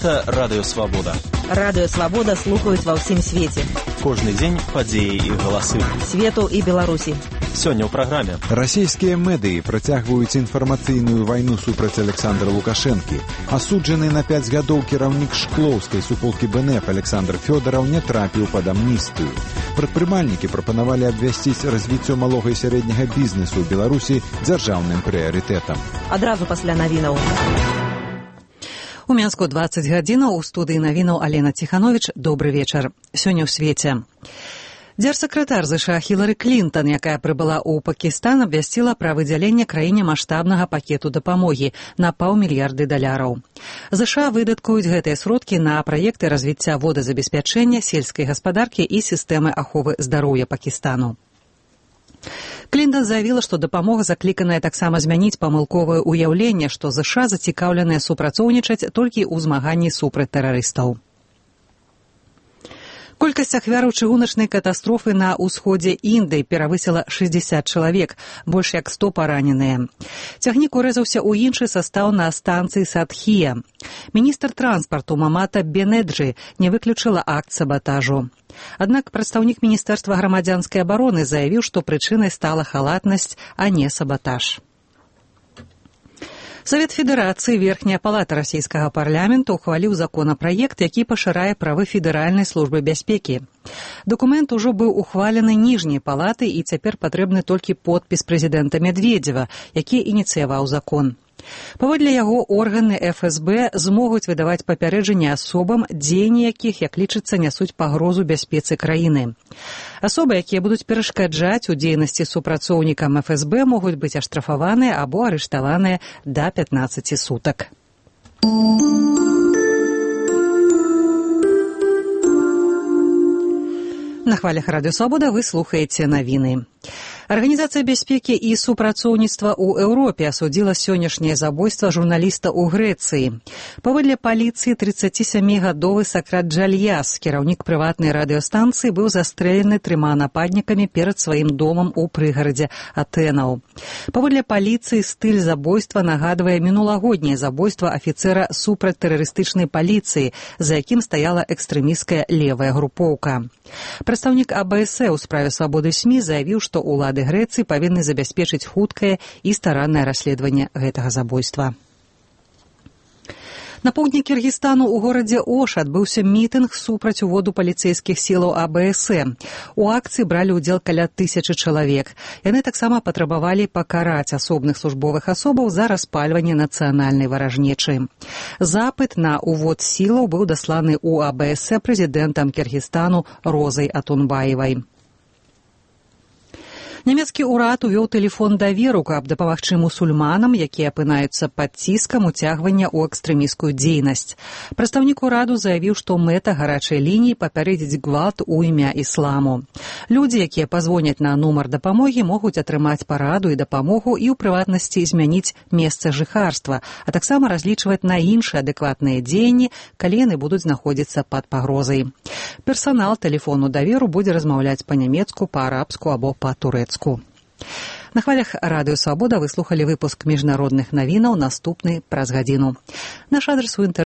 Гэта Радыё Свабода. Радыё Свабода слухаюць ва ўсім свеце. Кожны дзень падзеі і галасы. Свету і Беларусі. Сёння ў праграме. Расійскія медыі працягваюць інфармацыйную вайну супраць Александра Лукашэнкі. Асуджаны на 5 гадоў кіраўнік шклоўскай суполкі БНФ Александр Фёдараў не трапіў пад амністыю. Прадпрымальнікі прапанавалі абвясціць развіццё малога і сярэдняга бізнесу ў Беларусі дзяржаўным прыярытэтам. Адразу пасля навінаў. У Мінску 20 гадзінаў, у студыі навінаў Алена Ціхановіч. Добры вечар. Сёння ў свеце. Дзяржсакратар ЗША Хілары Клінтон, якая прыбыла ў Пакістан, абвясціла пра выдзяленне краіне маштабнага пакету дапамогі на $500 мільярдаў. ЗША выдаткуюць гэтыя сродкі на праекты развіцця водазабеспячэння, сельскай гаспадаркі і сістэмы аховы здароўя Пакістану. Клінтон заявіла, што дапамога закліканая таксама змяніць памылковае ўяўленне, што ЗША зацікаўленыя супрацоўнічаць толькі ў змаганні супраць тэрарыстаў. Колькасць ахвяраў чыгуначнай катастрофы на ўсходзе Індыі перавысіла 60 чалавек, больш як 100 параненыя. Цягнік урэзаўся ў іншы састаў на станцыі Садхія. Міністр транспарту Мамата Бенеджы не выключыла акт сабатажу. Аднак прадстаўнік Міністэрства грамадзянскай абароны заявіў, што прычынай стала халатнасць, а не сабатаж. Савет Федэрацыі, верхняя палата расійскага парламента, ухваліў законапраект, які пашырае правы Федэральнай службы бяспекі. Дакумент ужо быў ухвалены ніжняй палатай і цяпер патрэбны толькі подпіс прэзідэнта Медведзева, які ініцыяваў закон. Паводле яго органы ФСБ змогуць выдаваць папярэджанні асобам, дзеянні якіх, як лічыцца, нясуць пагрозу бяспецы краіны. Асобы, якія будуць перашкаджаць у дзейнасці супрацоўнікам ФСБ, могуць быць аштрафаваныя або арыштаваныя да 15 сутак. На хвалях Радыё Свабода вы слухаеце навіны. Арганізацыя бяспекі і супрацоўніцтва ў Еўропе асудзіла сённяшняе забойства журналіста ў Грэцыі. Паводле паліцыі, 37-гадовы Сакрат Джальяс, кіраўнік прыватнай радыёстанцыі, быў застрэлены 3 нападнікамі перад сваім домам у прыгарадзе Атэнаў. Паводле паліцыі, стыль забойства нагадвае мінулагодняе забойства афіцэра супрацьтэрарыстычнай паліцыі, за якім стаяла экстрэмісцкая левая групоўка. Прадстаўнік АБС у справе свабоды СМІ заявіў, што ўлады Грэцыі павінны забяспечыць хуткае і стараннае расследаванне гэтага забойства. На поўдні Кіргізстану ў горадзе Ош адбыўся мітынг супраць уводу паліцэйскіх сілаў АБС. У акцыі бралі ўдзел каля 1000 чалавек. Яны таксама патрабавалі пакараць асобных службовых асобаў за распальванне нацыянальнай варажнечы. Запыт на увод сілаў быў дасланы ў АБС прэзідэнтам Кіргізстану Розай Атунбаевай. Нямецкі ўрад увёў тэлефон даверу, каб дапамагчы мусульманам, якія апынаюцца пад ціскам уцягвання ў экстрэмісцкую дзейнасць. Прадстаўнік ураду заявіў, што мэта гарачай лініі папярэдзіць гвалт у імя ісламу. Людзі, якія пазвоняць на нумар дапамогі, могуць атрымаць параду і дапамогу і ў прыватнасці змяніць месца жыхарства, а таксама разлічваць на іншыя адэкватныя дзеянні, калі яны будуць знаходзіцца пад пагрозай. Персанал тэлефону даверу будзе размаўляць па-нямецку, па-арабску або па-турэцку. На хвалях Радыё Свабода вы слухалі выпуск міжнародных навінаў, наступны праз гадзіну. Наш адрес у